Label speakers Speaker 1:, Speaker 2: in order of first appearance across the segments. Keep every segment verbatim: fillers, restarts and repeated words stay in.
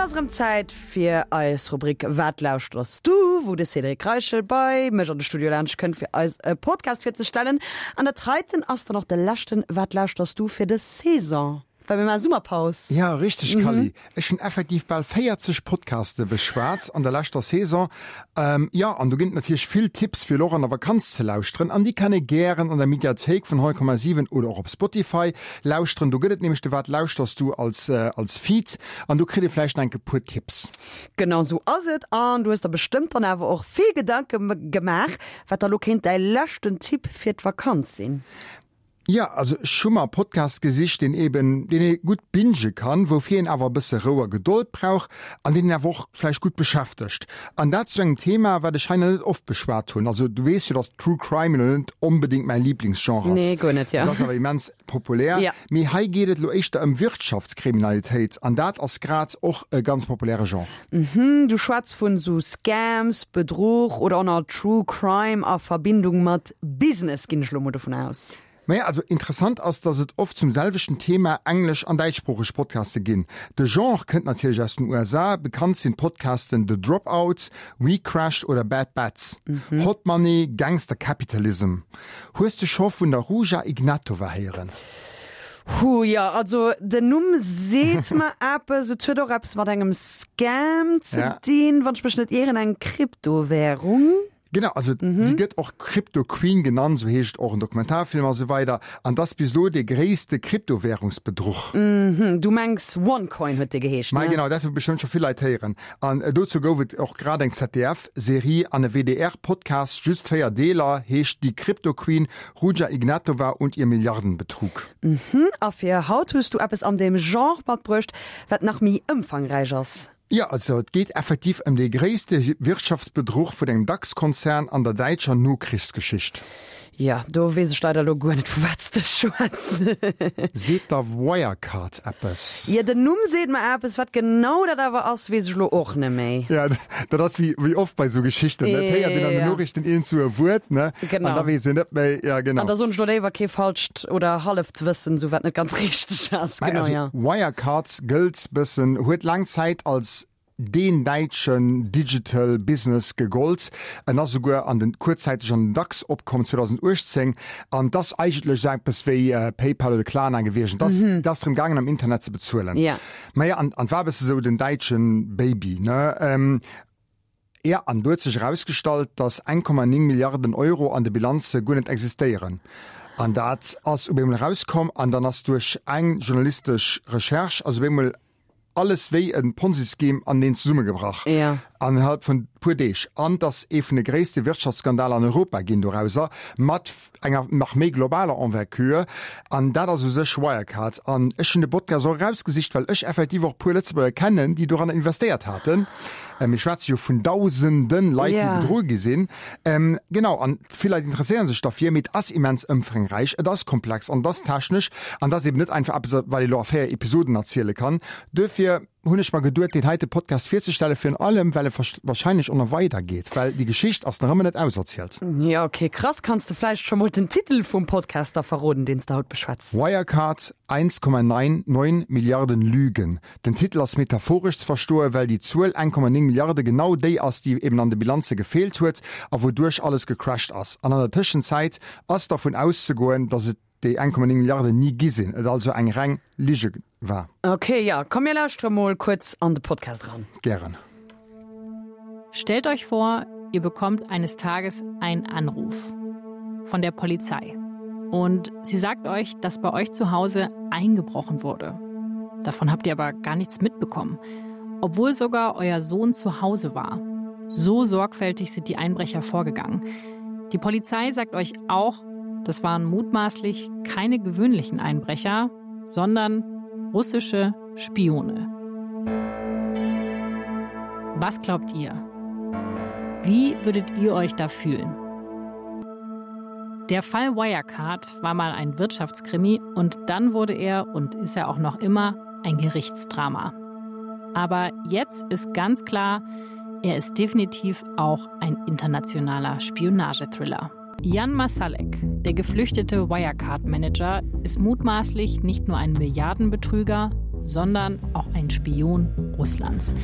Speaker 1: ass erëm Zäit fir eis Rubrik Wat lauschters du? wou de Cédric Reichel bei mech an de Studio laanscht kënnt fir eis e Podcast virzestellen. An dat heiten ass dann och de leschten Wat lauschters du fir dës Saison, well mir maache Summerpaus.
Speaker 2: Ja, richteg Kally. Ech hunn effektiv bal véierzeg Podcaste beschwat an der leschter Saison. Jo, an do ginn et natierlech vill Tipps fir elo och an der Vakanz ze lauschteren an déi kann ee gären an der Mediathéik vun honnert Komma siwen oder och op Spotify lauschteren. Do gëtt et nämlech de Wat lauschters du als als Feed an do kritt ee vläicht nach enke puer Tipps.
Speaker 1: Genau sou ass et an du hues der bestëmmt dann awer och vill Gedanke gemaach, wat da lo kéint däi leschten Tipp fir d'Vakanz sinn.
Speaker 2: Jo, also ech hu mer e Podcast gesicht, deen eben, deen ee gutt binge kann, woufir een awer e bësse Rou a Gedold brauch an deen een awer och vläicht gutt beschäftegt. An dat zu engem Thema, wat ech hei nach net oft beschwat hunn. Also du weess jo, dass True Crime elo net onbedéngt mäi Liblingsgenre ass.
Speaker 1: Nee, guer net, jo.
Speaker 2: Et ass awer immens populär.
Speaker 1: Ja.
Speaker 2: Mee hei geet et elo éischter ëm Wirtschaftskriminalitéit an dat ass grad och e ganz populäre Genre.
Speaker 1: Mhm, du schwätz vun sou Scams, Bedruch oder och nach True Crime a Verbindung mat Business, ginn ech elo mol dovun aus.
Speaker 2: Maja, also interessant ass, dass et oft zum selwechten Thema englesch an däitschsproocheg Podcaste ginn. De Genre kënnt natierlech aus den U S A, bekannt sinn d'Podcasten The Dropout, We Crashed oder Bad Bets. Hot Money, Gangster Capitalism. Hues de scho vun der Ruja Ignatova héieren?
Speaker 1: Huh, jo, also den Numm seet mer eppes. Et huet och eppes mat engem Scam ze dinn, wann ech mech net ieren, eng Kryptowärung.
Speaker 2: Genau, also si gëtt och Crypto Queen genannt, sou heescht och en Dokumentarfilm a sou weider. An 't ass bis elo dee gréisste Kryptowärungsbedruch.
Speaker 1: Mhm, du mengs OneCoin huet dee geheescht,
Speaker 2: ne?
Speaker 1: Genau,
Speaker 2: dat hu bestëmmt scho vill Leit héieren. An dozou gouf et och grad eng Z D F-Serie an e W D R-Podcast, just véier Deeler, heescht Die Crypto Queen, Ruja Ignatova und ihr Milliardenbetrug.
Speaker 1: Mhm, a fir haut hues du eppes an deem Genre matbruecht, wat nach méi ëmfangräich ass.
Speaker 2: Jo, also et geet effektiv ëm dee gréisste Wirtschaftsbedruch vun engem DAX-Konzern an der däitscher Nokrichsgeschicht.
Speaker 1: Jo, do weess ech leider elo guer net, vu wat s de schwätz.
Speaker 2: Seet der Wirecard eppes?
Speaker 1: Jo, den Numm seet mer eppes, wat genau dat awer ass, weess ech elo och net méi.
Speaker 2: Jo, dat ass wéi wéi oft bei esou Geschichten, ne? Et héiert een an den Noriichten iergendwou e Wuert, ne?
Speaker 1: Genau.
Speaker 2: An da weess een net méi, jo, genau.
Speaker 1: An da soen ech elo léiwer kee falscht oder halleft Wëssen, esou wat net ganz richteg ass.
Speaker 2: Genau,
Speaker 1: jo.
Speaker 2: Wirecard gëllt bëssen, huet laang Zäit als deen däitschen Digital Business gegollt. En ass esouguer an den, kuerzzäiteg an den DAX opkomm zweedausenduechtzéng. An 't ass eigentlech esou eppes wéi PayPal oder Klarna gewiescht. Et ass, et ass drëm gaangen am Internet ze bezuelen.
Speaker 1: Ja.
Speaker 2: Maja, an, an war e bësse sou den däitsche Baby, ne? Ja, an do huet sech erausgestallt, datt eng Komma néng Milliarden Euro an de Bilanze guer net existéieren. An dat ass op eemol erauskomm an dann ass duerch eng journalistesch Recherche ass op eemol alles wéi e Ponzi-Scheme aneneen zesummegebrach.
Speaker 1: Ja.
Speaker 2: Innerhalb vun puer Deeg. An 't ass ee vun de gréisste Wirtschaftsskandaler an Europa ginn dorauser, mat enger nach méi globaler Envergure. An dat ass u sech Wirecard. An ech hunn de Podcast och erausgesicht, well ech effektiv och e puer Lëtzebuerger kennen, déi doranner investéiert haten. Mir schwätze jo vun dausende Leit, déi bedru gi sinn. Genau, an vill Leit interesséiere sech derfir, mee et ass immens ëmfangräich, et ass komplex an et ass technesch an et ass eben net einfach eppes, wat ee lo a véier Episoden erziele kann. Duerfir hunn ech mer geduet, deen heite Podcast virzestellen, virun allem, well e wahrscheinlech och nach weidergeet, well déi Geschicht ass nach ëmmer net auserzielt.
Speaker 1: Jo, ok, krass. Kanns de vläicht scho mol den Titel vum Podcast da verroden, deen s de haut beschwätz?
Speaker 2: Wirecard, eins Komma neun Milliarden Lügen. Den Titel ass metaphoresch ze verstoen, well déi Zuel eng Komma néng Milliarde genau déi ass, déi eben an de Bilanze gefeelt huet a wouduerch alles gecrasht ass. An an der Tëschenzäit ass dervun auszegoen, datt et déi eng Komma néng Milliarden ni gi sinn, et also eng reng Lige war.
Speaker 1: Ok, jo, komm mir lauschtere mol kuerz an de Podcast eran.
Speaker 2: Gären.
Speaker 3: Stellt euch vor, ihr bekommt eines Tages einen Anruf von der Polizei. Und sie sagt euch, dass bei euch zu Hause eingebrochen wurde. Davon habt ihr aber gar nichts mitbekommen, obwohl sogar euer Sohn zu Hause war. So sorgfältig sind die Einbrecher vorgegangen. Die Polizei sagt euch auch, das waren mutmaßlich keine gewöhnlichen Einbrecher, sondern russische Spione. Was glaubt ihr? Wie würdet ihr euch da fühlen? Der Fall Wirecard war mal ein Wirtschaftskrimi und dann wurde er und ist er auch noch immer ein Gerichtsdrama. Aber jetzt ist ganz klar, er ist definitiv auch ein internationaler Spionagethriller. Jan Marsalek, der geflüchtete Wirecard-Manager, ist mutmaßlich nicht nur ein Milliardenbetrüger, sondern auch ein Spion Russlands.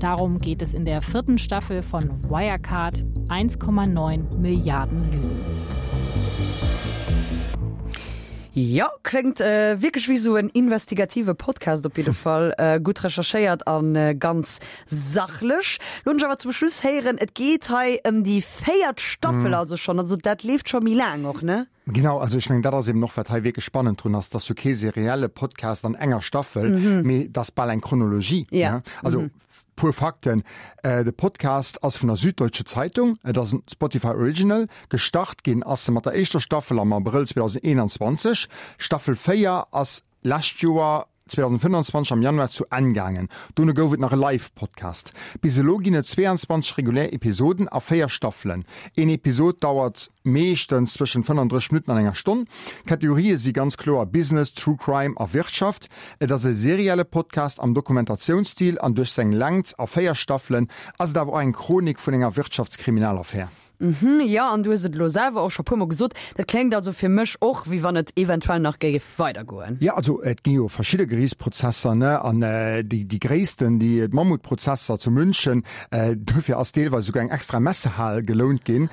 Speaker 3: Darum geht es in der vierten Staffel von Wirecard eins Komma neun Milliarden Lügen.
Speaker 1: Jo, kléngt wierklech wéi sou en investigative Podcast op jidde Fall. Gutt recherchéiert an ganz sachlech. Lo hunn ech awer zum Schluss héieren, et geet hei ëm déi véiert Staffel also schonn. Also dat leeft scho méi laang och, ne?
Speaker 2: Genau, also ech mengen, dat ass eben och, wat hei wierklech spannend drun ass, dass jo kee serielle Podcast an enger Staffel, mee dat ass bal eng Chronologie, ne? Also puer Fakten, De Podcast ass vun der Süddeutsche Zeitung, et ass en Spotify Original. Gestart ginn ass e mat der éischter Staffel am Abrëll zweedausendeenanzwanzeg. Staffel véier ass lescht Joer zweedausendfënnanzwanzeg am Januar zu Enn gaangen. Dono gouf et nach e Live-Podcast. Bis elo ginn et zweeanzwanzeg regulär Episoden a véier Staffelen. Een Episod dauert meeschtens zwëschen fënnandrësseg Minutten an enger Stonn. D'Kategorië si ganz kloer Business, True Crime a Wirtschaft. Et ass e serielle Podcast am Dokumentationsstil an duerch seng Längt a véier Staffelen ass et awer och eng Chronik vun enger Wirtschaftskriminalaffär.
Speaker 1: Mhm, jo, an du hues et elo selwer och scho puer mol gesot, dat kléngt also fir mech och, wéi wann et eventuell nach géif weidergoen.
Speaker 2: Jo, also et gi jo verschidde Geriichtsprozesser, ne, an déi, déi gréissten, déi d'Mammutprozesser zu München, dofir ass deelweis esouguer eng extra Messehal gelount ginn,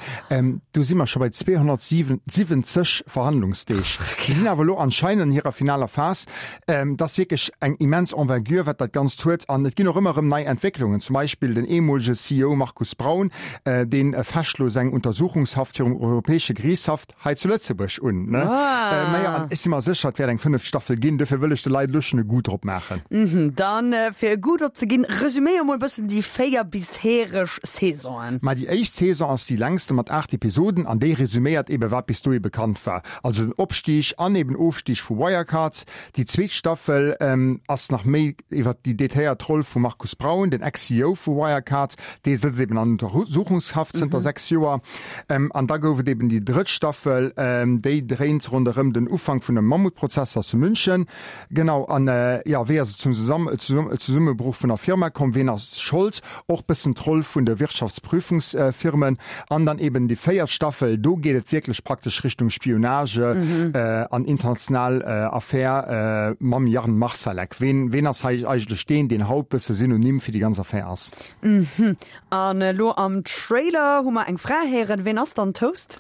Speaker 2: do si mer scho bei zweehonnertsiwwenzeg Verhandlungsdeeg. Si sinn awer elo anscheinend an hirer finaler Phas. Et ass wierklech eng immens Envergure, wat dat Ganzt huet, an et ginn och ëmmer erëm nei Entwécklungen, zum Beispill den ehemolege C E O Markus Braun, dee fecht elo seng Untersuchungshaft virum Europäesche Geriichtshaff hei zu Lëtzebuerg un. Ne? Ah. Äh, naja, an ech si mer sécher, et wäert eng fënneft Staffel ginn, dofir wëll ech de Leit elo schonn e Goût drop maachen.
Speaker 1: Mhm, dann, äh, fir e Goût drop ze ginn, resüméier mol e bëssen déi véier bishereg Saisonen.
Speaker 2: Ma déi éischt Saison ass déi längste mat aacht Episoden an déi resüméiert ebe wat bis dohi bekannt war, also den Opstig an eben Ofstig vu Wirecard. Déi zweet Staffel ähm, ass nach méi iwwer déi detailléiert Roll vum Markus Braun, den Ex-C E O vu Wirecard, dee sëtzt eben an Untersuchungshaft zënter sechs Joer. An da gouf et eben déi drëtt Staffel, déi dréint ronderëm den Ufank vun dem Mammutprozesser zu München. Genau, an jo, wéi ass et zum Zesummebruch vun der Firma komm, ween ass Schold, och bëssen d'Roll vun de Wirtschaftsprüfungsfirmen. An dann eben déi véiert Staffel, do geet et wierklech praktesch Richtung Spionage an international Affär mam Jan Marsalek. Ween, ween ass hei eigentlech deen, deen haut bësse Synonym fir déi ganz Affär ass?
Speaker 1: An elo am Trailer hu mer eng Fra héieren. Ween ass dann d'Host?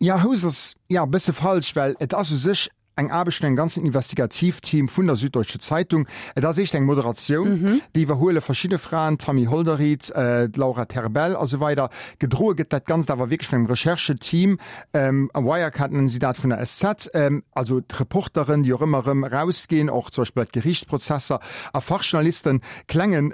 Speaker 2: Ja, Host ass ja bësse falsch, well et ass u sech eng Aarbecht vun engem ganzen Investigativteam vun der Süddeutsche Zeitung. Et ass éischt eng Moderatioun, déi iwwerhuele verschidde Fraen, d'Tammy Holderried, d'Laura Terbell a sou weider. Gedroe gëtt dat Ganzt awer wierklech vun engem Rechercheteam, Wirecard nennen si dat, vun der S Z, also d'Reporteren, déi och ëmmer erëm erausginn, och zum Beispill bei d'Geriichtsprozesser, a Fachjournalisten. Klengen,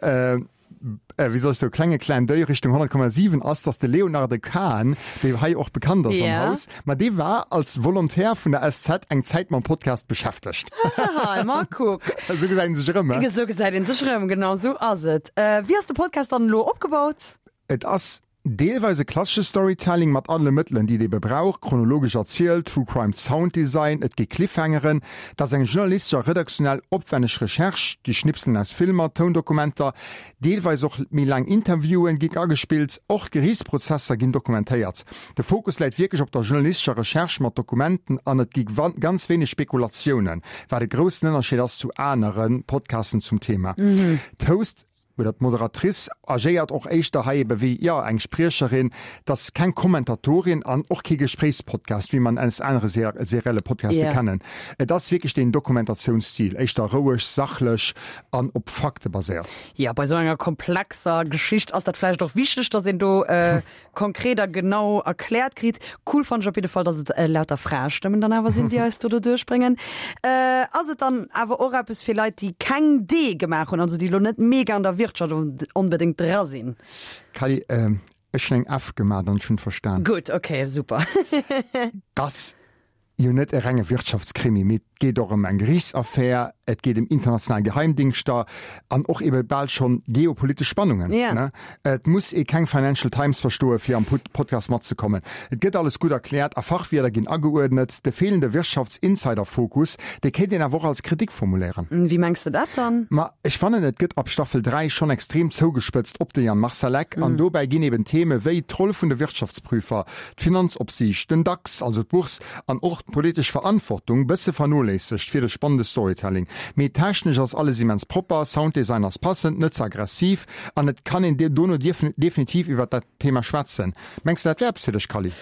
Speaker 2: wéi soll ech soen, klenge Clin d'oeil Richtung honnert Komma siwen ass, dass de Léonarde Kahn, dee hei och bekannt ass am Haus, ma dee war als Volontaire vun der S Z eng Zäit mam Podcast beschäftegt.
Speaker 1: Haha, ma kuck.
Speaker 2: Esou gesäit een sech erëm, he?
Speaker 1: Esou gesäit een sech erëm, genau esou ass et. Wéi ass de Podcast dann elo opgebaut?
Speaker 2: Et ass deelweis e klassesche Storytelling mat alle Mëttelen, déi et ebe brauch, chronologesch erzielt, True Crime Sound Design, et gi Cliffhangeren, et ass eng journalistesch a redaktionell opwänneg Recherche, gi Schnipselen aus Filmer, Toundokumenter, deelweis och méi laang Interviewen gi agespillt, och d'Geriichtsprozesser ginn dokumentéiert. De Fokus läit wierklech op der journalistescher Recherche mat Dokumenten an et gi ganz wéineg Spekulatiounen, wat e groussen Ënnerscheed ass zu anere Podcasten zum Thema. D'Host oder d'Moderatrice agéiert och éischter hei ebe wéi, jo, eng Spriecherin, et ass keng Kommentatorin an och kee Gespréichspodcast, wéi man aus anere serielle Podcaste kennen. Et ass wierklech deen Dokumentationsstil, éischter roueg, sachlech an op Fakte baséiert.
Speaker 1: Jo, bei esou enger komplexer Geschicht ass dat vläicht och wichteg, dass een do konkret a genau erkläert kritt. Cool fannen ech op jidde Fall, dass et lauter Fraestëmmen dann awer sinn, déi eis do doduerch bréngen. Ass et dann awer och eppes fir Leit, déi keng D gemaach hunn, also déi elo net mega an der Wirtschaft onbedéngt dra sinn?
Speaker 2: Kally, ech hunn eng F gemaach an ech hunn et verstan.
Speaker 1: Gutt, ok, super.
Speaker 2: T'ass jo net e renge Wirtschaftskrimi, mee et geet och ëm eng Geriichtsaffär, et geet ëm international Geheimdingschter an och ebe bal schonn geopolitesch Spannungen.
Speaker 1: Ja.
Speaker 2: Et muss ee keng Financial Times verstoe fir am Podcast matzekommen. Et gëtt alles gutt erkläert a Fachwierder ginn ageuerdnet. De feelende Wirtschaftsinsider-Fokus, dee kéint een awer och als Kritik formuléieren.
Speaker 1: Wéi mengs de dat dann?
Speaker 2: Ma ech fannen, et gëtt ab Staffel dräi schonn extrem zougespëtzt op de Jan Marsalek an dobäi ginn eben Theme wéi d'Roll vun de Wirtschaftsprüfer, d'Finanzopsiicht, den DAX, also d'Bourse, an och d'politesch Verantwortung bësse vernoléissegt. vernoléissegt fir de spannende Storytelling. Mee technesch ass alles immens propper, Sounddesign ass passend, net ze aggressiv an et kann een dono definitiv iwwer dat Thema schwätzen. Mengs de dat wär eppes fir dech, Kally?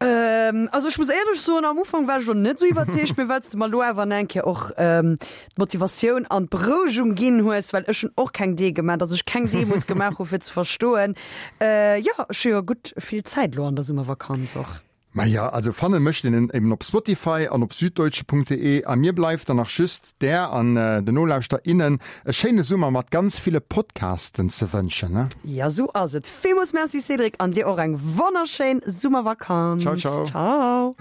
Speaker 1: Ähm, also ech muss éierlech soen, am Ufank war ech lo net sou iwwerzeegt, mee well s de mer lo awer eng Kéier och ähm, d'Motivatioun an d'Berouegung ginn hues, well ech hunn och keng Dee gemaach, dass ech keng Demos gemaach hu fir ze verstoen. Äh, jo, ech hu jo gutt vill Zäit lo an der Summervakanz och.
Speaker 2: Maja, also fanne mécht een en eben op Spotify an op süddeutsche.de a mir bleift dann nach just där an den Nolauschter innen e schéine Summer mat ganz ville Podcasten ze wënschen, ne?
Speaker 1: Ja, sou ass et. Villmools Merci Cédric an dir och eng wonnerschéin Summervakanz.
Speaker 2: Ciao, ciao.
Speaker 1: Ciao.